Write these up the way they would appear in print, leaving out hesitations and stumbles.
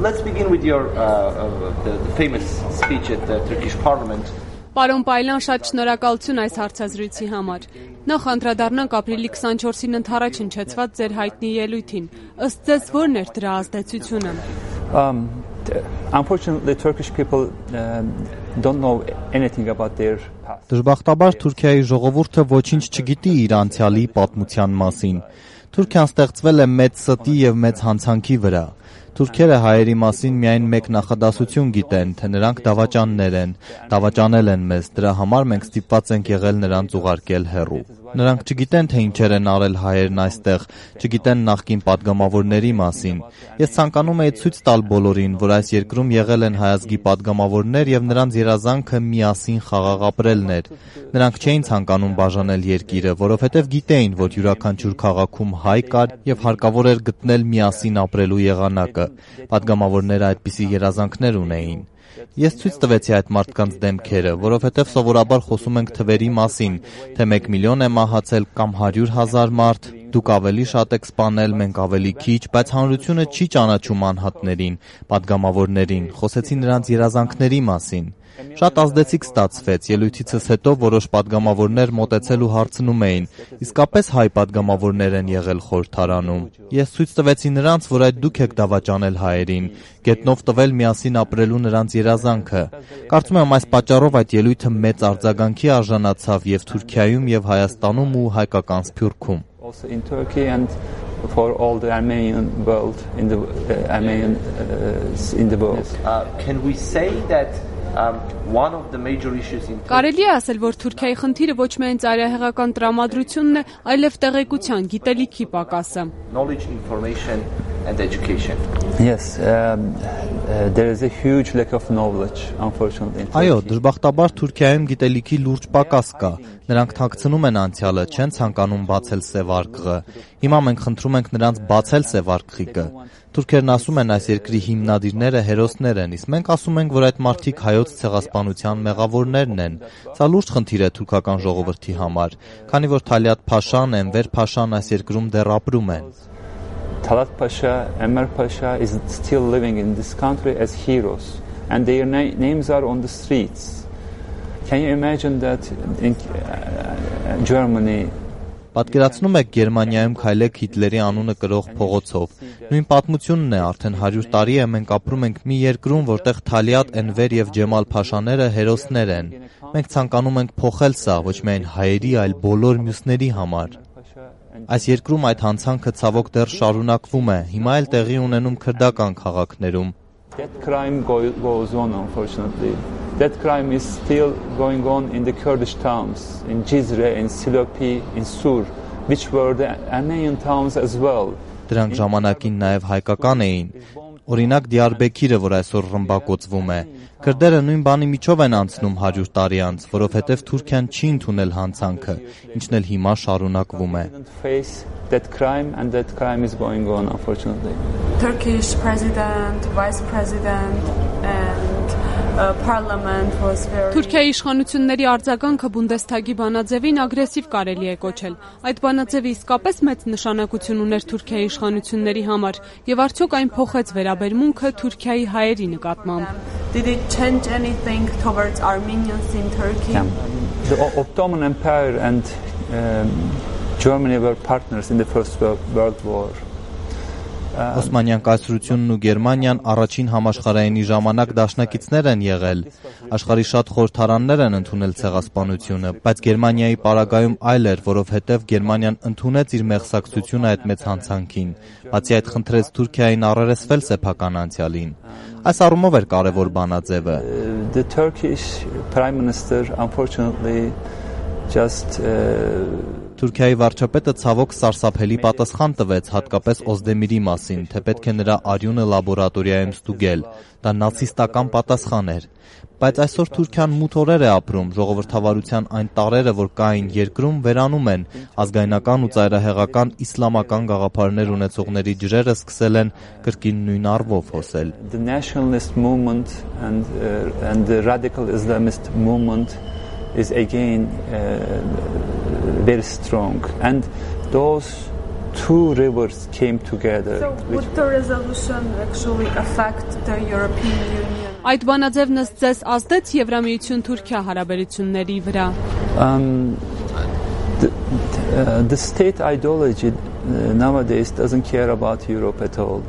Let's begin with your the famous speech at the Turkish Parliament. Պարոն Պայլյան, շատ շնորհակալություն այս հարցազրույցի համար։ Նախ անդրադառնանք ապրիլի 24-ին ընդառաջ հնչեցված ձեր հայտնի ելույթին։ Ըստ ձեզ ո՞րն էր դրա ազդեցությունը։ Unfortunately, Turkish people don't know anything about their past. Դժբախտաբար Թուրքիայի ժողովուրդը ոչինչ չգիտի իր անցյալի պատմության մասին։ Թուրքիան ստեղծվել է մեծ ստի եւ մեծ հանցանքի վրա։ Թուրքերը հայերի մասին միայն մեկ նախադասություն գիտեն, թե նրանք դավաճաններ են, դավաճանել են մեզ, դրա համար մենք ստիպված ենք եղել նրանց ուղարկել հեռու։ Նրանք չգիտեն, թե ինչեր են արել հայերն այստեղ, չգիտեն նախկին падգամավորների մասին։ Ես ցանկանում եի ցույց տալ բոլորին, որ այս երկրում եղել են հայազգի падգամավորներ եւ նրանց երազանքը միասին խաղաղ ապրելն էր։ Նրանք չէին ցանկանում բաժանել երկիրը, որովհետեւ գիտեին, որ յուրաքանչյուր քաղաքում հայ կար եւ հարկավոր էր գտնել միասին ապրելու եղանակը։ Падգամավորները այդպիսի երազանքներ ունեին։ Ես ցույց տվեցի այդ մարդկանց դեմքերը, որովհետև սովորաբար խոսում ենք թվերի մասին, թե 1 միլիոն է մահացել կամ 100,000 մարդ, դուք ավելի շատ եք սպանել, մենք ավելի քիչ, բայց հանրությունը չի ճանաչում անհատներին, падգամավորներին, խոսեցի նրանց երազանքների մասին։ Շատ ազդեցիկ ստացվեց, ելույթիցս հետո որոշ падգամավորներ մոտեցել ու հարցնում էին, իսկապես հայ падգամավորներ են եղել խորհրդարանում։ Ես ցույց տվեցի նրանց, որ այդ դուք եք դավաճանել հայերին, գետնով տվել միասին ապրելու նրանց երազանքը։ Կարծում եմ այս պատճառով այդ ելույթը մեծ արձագանքի արժանացավ եւ Թուրքիայում եւ Հայաստանում ու հայկական Սփյուռքում։ Also in Turkey and for all the Armenian world in the world. Can we say that one of the major issues in Կարելի է ասել, որ Թուրքիայի խնդիրը ոչ միայն ծայրահեղական տրամադրությունն է, այլև տեղեկության, գիտելիքի պակասը։ Knowledge, information and education. Yes, there is a huge lack of knowledge, unfortunately. Այո, դժբախտաբար Թուրքիայում գիտելիքի լուրջ պակաս կա։ Նրանք թաքցնում են անցյալը, չեն ցանկանում բացել սև արկղը։ Հիմա մենք խնդրում ենք նրանց բացել սև արկղիկը։ Թուրքերն ասում են այս երկրի հիմնադիրները հերոսներ են, իսկ մենք ասում ենք, որ այդ մարդիկ հայոց ցեղասպանության մեղավորներն են։ Սա լուրջ խնդիր է թուրքական ժողովրդի համար, քանի որ Թալիատ Փաշան, Էնվեր Փաշան այս երկրում դեռ ապրում են։ Talat Pasha, Enver Pasha is still living in this country as heroes, and their names are on the streets. Can you imagine that in Germany? Պատկերացնում եք Գերմանիայում քայլեք Հիտլերի անունը կրող փողոցով։ Նույն պատմությունն է, արդեն 100 տարի է մենք ապրում ենք մի երկրում, որտեղ Թալիատ, Էնվեր եւ Ջեմալ Փաշաները հերոսներ են։ Մենք ցանկանում ենք փոխել սա ոչ միայն հայերի, այլ բոլոր մյուսների համար։ Այս երկրում այդ հանցանքը ցավոք դեռ շարունակվում է, հիմա էլ տեղի ունենում քրդական քաղաքներում։ That crime goes on, unfortunately. That crime is still going on in the Kurdish towns, in Cizre, in Silopi, in Sur, which were the Armenian towns as well. Դրանք ժամանակին նաև հայկական էին։ Օրինակ Դիարբեքիրը, որ այսօր ռմբակոծվում է։ Քրդերը նույն բանի միջով են անցնում 100 տարի անց, որովհետև Թուրքիան չի ընդունել հանցանքը, ինչն էլ հիմա շարունակվում է։ That crime and that crime is going on, unfortunately. Turkish president, vice president and parliament was very Թուրքիայի իշխանությունների արձագանքը Բունդեսթագի բանաձևին ագրեսիվ կարելի է կոչել։ Այդ բանաձևը իսկապես մեծ նշանակություն ուներ Թուրքիայի իշխանությունների համար, եւ արդյոք այն փոխեց վերաբերմունքը Թուրքիայի հայերի նկատմամբ։ Did it change anything towards Armenians in Turkey? The Ottoman Empire and Germany were partners in the First World War. Օսմանյան կայսրությունն ու Գերմանիան առաջին համաշխարհայինի ժամանակ դաշնակիցներ են եղել։ Աշխարհի շատ խորհրդարաններ են ընդունել ցեղասպանությունը, բայց Գերմանիայի պարագայում այլ էր, որովհետև Գերմանիան ընդունեց իր մեղսակցությունը այդ մեծ հանցանքին։ Բացի այդ խնդրեց Թուրքիային առերեսվել սեփական անցյալին։ Այս առումով էր կարևոր բանաձևը։ The Turkish Prime Minister unfortunately just Թուրքիայի վարչապետը ցավոք սարսափելի պատասխան տվեց հատկապես Օզդեմիրի մասին, թե պետք է նրա արյունը լաբորատորիայում ստուգել։ Դա նացիստական պատասխան էր։ Բայց այսօր Թուրքիան մութ օրեր է ապրում, ժողովրդավարության այն տարրերը, որ կային երկրում, վերանում են, ազգայնական ու ծայրահեղական իսլամական գաղափարներ ունեցողների ջրերը սկսել են կրկին նույն առվով հոսել։ The nationalist movement and the radical Islamist movement is again very strong, and those two rivers came together. So would the resolution actually affect the European Union? Այդ բանաձևն ըստ ձեզ ազդեց Եվրամիություն-Թուրքիա հարաբերությունների վրա։ The state ideology nowadays doesn't care about Europe at all.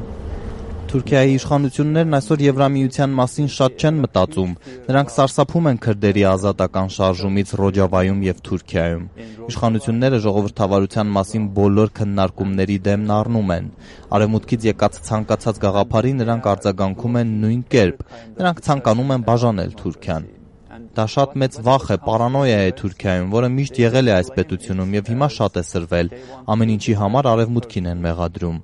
Թուրքիայի իշխանություններն այսօր Եվրամիության մասին շատ չեն մտածում։ Նրանք սարսափում են քրդերի ազատական շարժումից Ռոջավայում եւ Թուրքիայում։ Իշխանությունները ժողովրդավարության մասին բոլոր քննարկումների դեմն առնում են։ Արևմուտքից եկած ցանկացած գաղափարի նրանք արձագանքում են նույն կերպ։ Նրանք ցանկանում են բաժանել Թուրքիան։ Դա շատ մեծ վախ է, պարանոյա է Թուրքիայում, որը միշտ եղել է այս պետությունում եւ հիմա շատ է սրվել։ Ամեն ինչի համար արևմուտքին են մեղադրում։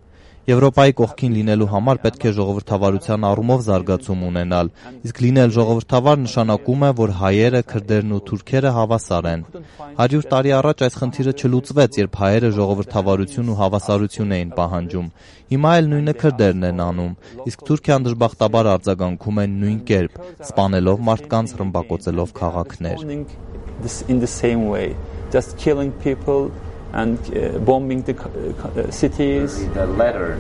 Եվրոպայի կողքին լինելու համար պետք է ժողովրդավարության առումով զարգացում ունենալ, իսկ լինել ժողովրդավար նշանակում է, որ հայերը, քրդերն ու թուրքերը հավասար են։ 100 տարի առաջ այս խնդիրը չլուծվեց, երբ հայերը ժողովրդավարություն ու հավասարություն էին պահանջում։ Հիմա էլ նույնը քրդերն են անում, իսկ Թուրքիան դժբախտաբար արձագանքում է նույն կերպ, սպանելով մարդկանց, ռմբակոծելով քաղաքներ։ In the same way, just killing people and bombing the cities. The letter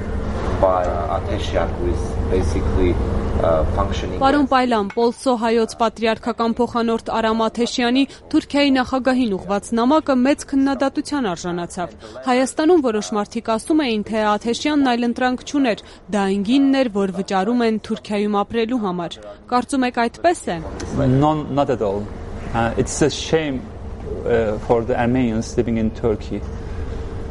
by Atesyan, who is basically functioning. Պարոն Պայլան, Պոլսո հայոց պատրիարքական փոխանորդ Արամ Աթեշյանի Թուրքիայի նախագահին ուղված նամակը մեծ քննադատության արժանացավ։ Հայաստանում որոշ մարդիկ ասում էին, թե Աթեշյանն այլընտրանք չուներ, դա այնգինն էր, որ վճարում են Թուրքիայում ապրելու համար։ Կարծում եք այդպես է։ Not at all. It's a shame for the Armenians living in Turkey.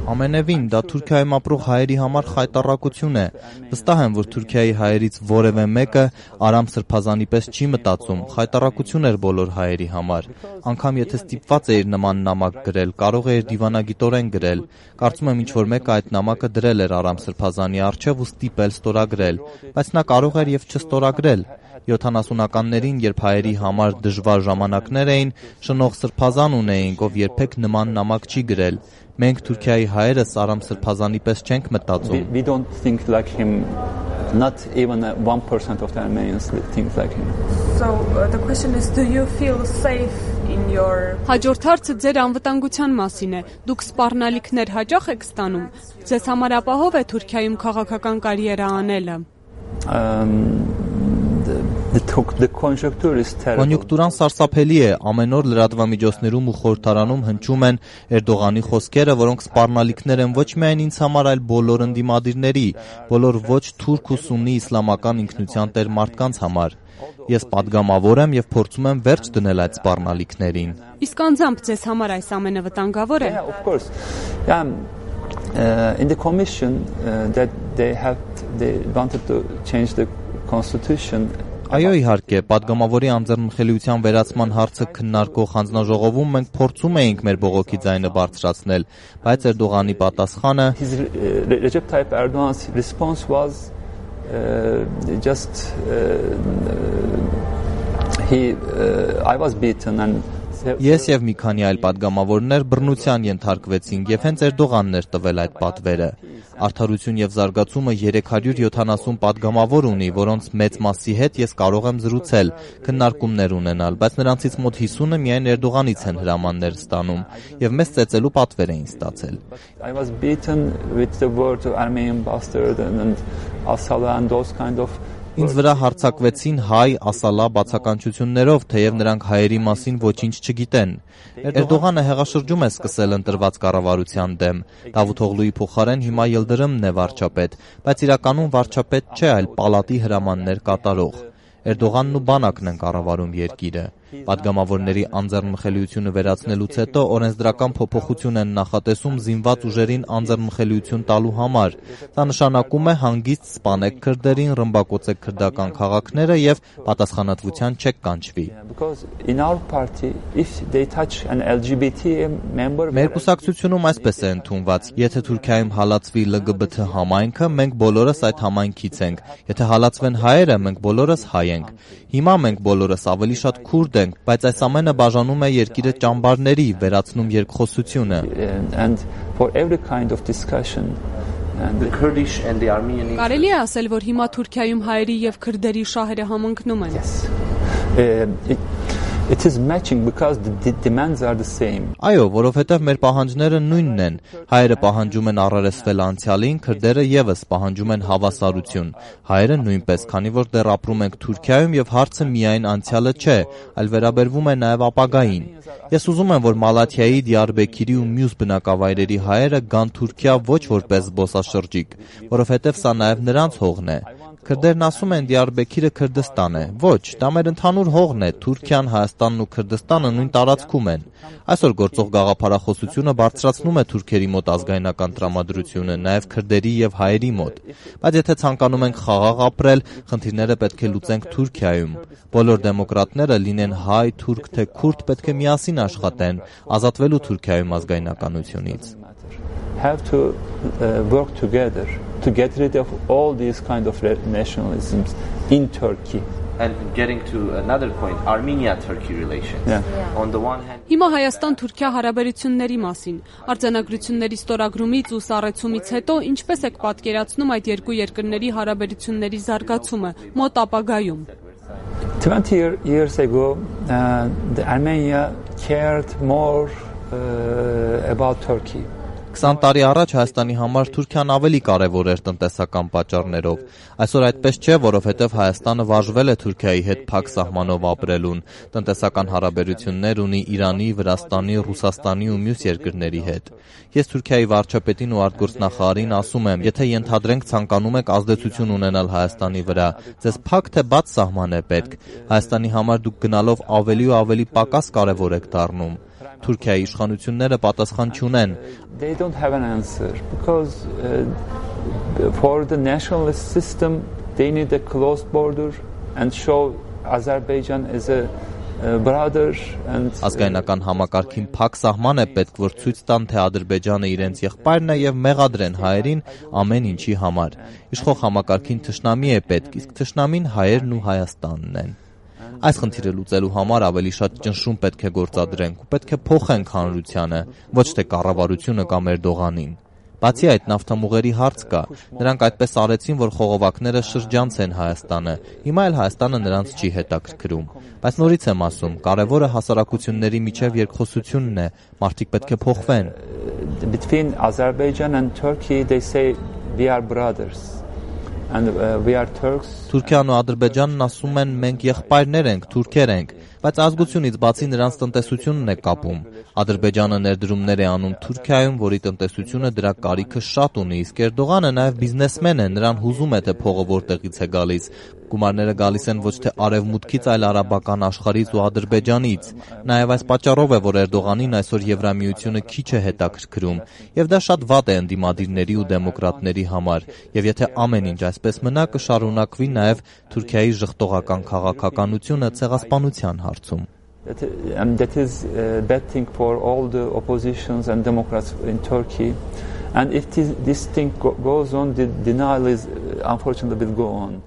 Ամենևին դա Թուրքիայում ապրող հայերի համար խայտառակություն է։ Վստահ եմ, որ Թուրքիայի հայերից որևէ մեկը Արամ Սրբազանի պես չի մտածում, խայտառակություն էր բոլոր հայերի համար։ Անգամ եթե ստիպված էիր նման նամակ գրել, կարող էիր դիվանագիտորեն գրել։ Կարծում եմ ինչ-որ մեկը այդ նամակը դրել էր Արամ Սրբազանի առջև ու ստիպել ստորագրել, բայց նա կարող էր եւ չստորագրել։ 70-ականներին, երբ հայերի համար դժվար ժամանակներ էին, շնորհ Սրբազան ունեինք, ով երբեք նման նամակ չի գրել։ Մենք Թուրքիայի հայերս Արամ Սրբազանի պես չենք մտածում։ We don't think like him. Not even 1% of the Armenians think like him. So the question is, do you feel safe in your? Հաջորդ հարցը ձեր անվտանգության մասին է։ Դուք սպառնալիքներ հաճախ եք ստանում։ Ձեզ համար ապահով է Թուրքիայում քաղաքական կարիերա անելը։ The conjuncture is terrible. Կոնյունկտուրան սարսափելի է, ամեն օր լրատվամիջոցներում ու խորհրդարանում հնչում են Էրդողանի խոսքերը, որոնք սպառնալիքներ են ոչ միայն ինձ համար, այլ բոլոր ընդդիմադիրների, բոլոր ոչ թուրք ու սուննի իսլամական ինքնության տեր մարդկանց համար։ Ես падգամավոր եմ եւ փորձում եմ վերջ դնել այդ սպառնալիքներին։ Իսկ անձամբ ձեզ համար այս ամենը վտանգավոր է։ Yeah, of course. In the commission that they wanted to change the constitution. Այո, իհարկե, падգամավորի անձեռնմխելիության վերացման հարցը քննարկող հանձնաժողովում մենք փորձում էինք մեր բողոքի ձայնը բարձրացնել, բայց Էրդողանի պատասխանը Recep Tayyip Erdogan's response was just I was beaten and Ես եւ մի քանի այլ падգամավորներ բռնության ենթարկվեցինք եւ հենց Էրդողանն էր տվել այդ պատվերը։ Արդարություն եւ զարգացումը 370 падգամավոր ունի, որոնց մեծ մասի հետ ես կարող եմ զրուցել, քննարկումներ ունենալ, բայց նրանցից մոտ 50-ը միայն Էրդողանից են հրամաններ ստանում եւ մեզ ծեծելու պատվեր էին ստացել։ I was beaten with the word Armenian bastard and Asala and those kind of Ինձ վրա հարձակվեցին հայ, ասալա բացականչություններով, թեև նրանք հայերի մասին ոչինչ չգիտեն։ Էրդողանը հեղաշրջում է սկսել ընտրված կառավարության դեմ։ Դավութ Օղլուի փոխարեն հիմա Յիլդրիմն է վարչապետ, բայց իրականում վարչապետ չէ, այլ պալատի հրամաններ կատարող։ Էրդողանն ու բանակն են կառավարում երկիրը։ Պատգամավորների անձեռնմխելիությունը վերացնելուց հետո օրենսդրական փոփոխություն են նախատեսում զինված ուժերին անձեռնմխելիություն տալու համար։ Դա նշանակում է հանգիստ սպանեք քրդերին, ռմբակոծեք քրդական քաղաքները եւ պատասխանատվության չեք կանչվի։ Մեր կուսակցությունում այսպես է ընդունված. եթե Թուրքիայում հալածվի LGBT համայնքը, մենք բոլորս այդ համայնքից ենք։ Եթե հալածվեն հայերը, մենք բոլորս հայ ենք։ Հիմա մենք բոլորս ավելի շատ քուրդ ենք, բայց այս ամենը բաժանում է երկիրը ճամբարների, վերացնում երկխոսությունը։ Կարելի է ասել, որ հիմա Թուրքիայում հայերի եւ քրդերի շահերը համընկնում են։ It is matching because the demands are the same. Այո, որովհետև մեր պահանջները նույնն են։ Հայերը պահանջում են առերեսվել անցյալին, քրդերը եւս պահանջում են հավասարություն։ Հայերը նույնպես, քանի որ դեռ ապրում ենք Թուրքիայում եւ հարցը միայն անցյալը չէ, այլ վերաբերվում է նաեւ ապագային։ Ես ուզում եմ, որ Մալաթիայի, Դիարբեքիրի ու մյուս բնակավայրերի հայերը գան Թուրքիա ոչ որպես զբոսաշրջիկ, որովհետև սա նաեւ նրանց հողն է։ Քրդերն ասում են Դիարբեքիրը Քրդստան է։ Ոչ, դա մեր ընդհանուր հողն է։ Թուրքիան, Հայաստանն ու Քրդստանը նույն տարածքում են։ Այսօր գործող գաղափարախոսությունը բարձրացնում է թուրքերի մոտ ազգայնական տրամադրությունը, նաև քրդերի եւ հայերի մոտ։ Բայց եթե ցանկանում ենք խաղաղ ապրել, խնդիրները պետք է լուծենք Թուրքիայում։ Բոլոր դեմոկրատները, լինեն հայ, թուրք թե քուրդ, պետք է միասին աշխատեն, ազատվելու Թուրքիայում ազգայնականությունից։ Have to work together to get rid of all these kind of nationalisms in Turkey. And getting to another point, Armenia-Turkey relations. On the one hand, Հիմա Հայաստան-Թուրքիա հարաբերությունների մասին արձանագրությունների ստորագրումից ու սառեցումից հետո ինչպես եք պատկերացնում այդ երկու երկրների հարաբերությունների զարգացումը մոտ ապագայում։ 20 years ago, Armenia cared more about Turkey. 20 տարի առաջ Հայաստանի համար Թուրքիան ավելի կարևոր էր տնտեսական պատճառներով։ Այսօր այդպես չէ, որովհետև Հայաստանը վարժվել է Թուրքիայի հետ փակ սահմանով ապրելուն, տնտեսական հարաբերություններ ունի Իրանի, Վրաստանի, Ռուսաստանի ու մյուս երկրների հետ։ Ես Թուրքիայի վարչապետին ու արտգործնախարարին ասում եմ, եթե ենթադրենք ցանկանում եք ազդեցություն ունենալ Հայաստանի վրա, ձեզ փակ թե բաց սահման է պետք։ Հայաստանի համար դուք գնալով ավելի ու ավելի պակաս կարևոր եք դառնում։ Թուրքիայի իշխանությունները պատասխան չունեն։ They don't have an answer because for the nationalist system they need a closed border and show Azerbaijan as a brother and ազգայնական համակարգին փակ սահման է պետք, որ ցույց տան, թե Ադրբեջանը իրենց եղբայրն է եւ մեղադրեն հայերին ամեն ինչի համար։ Իշխող համակարգին թշնամի է պետք, իսկ թշնամին հայերն ու Հայաստանն են։ Այս խնդիրը լուծելու համար ավելի շատ ճնշում պետք է գործադրենք ու պետք է փոխենք հանրությանը, ոչ թե կառավարությունը կամ Էրդողանին։ Բացի այդ, նավթամուղերի հարց կա։ Նրանք այդպես արեցին, որ խողովակները շրջանցեն Հայաստանը։ Հիմա էլ Հայաստանը նրանց չի հետաքրքրում։ Բայց նորից եմ ասում, կարևորը հասարակությունների միջև երկխոսությունն է, մարդիկ պետք է փոխվեն։ Between Azerbaijan and Turkey they say we are brothers. And we are Turks. Թուրքիան ու Ադրբեջանն ասում են մենք եղբայրներ ենք, թուրքեր ենք, բայց ազգությունից բացի նրանց տնտեսությունն է կապում։ Ադրբեջանը ներդրումներ է անում Թուրքիայում, որի տնտեսությունը դրա կարիքը շատ ունի, իսկ Էրդողանը նաև բիզնեսմեն է, նրան հուզում է թե փողը որտեղից է գալիս։ Գումարները գալիս են ոչ թե արևմուտքից, այլ արաբական աշխարհից ու Ադրբեջանից։ Նաև այս պատճառով է, որ Էրդողանին այսօր Եվրամիությունը քիչ է հետաքրքրում, եւ դա շատ վատ է ընդդիմադիրների ու դեմոկրատների համար, եւ եթե ամեն ինչ այսպես մնա, կշարունակվի նաև Թուրքիայի ժխտողական քաղաքականությունը ցեղասպանության հարցում։ That is a bad thing for all the oppositions and Democrats in Turkey. And if this thing goes on, the denial is unfortunately will go on.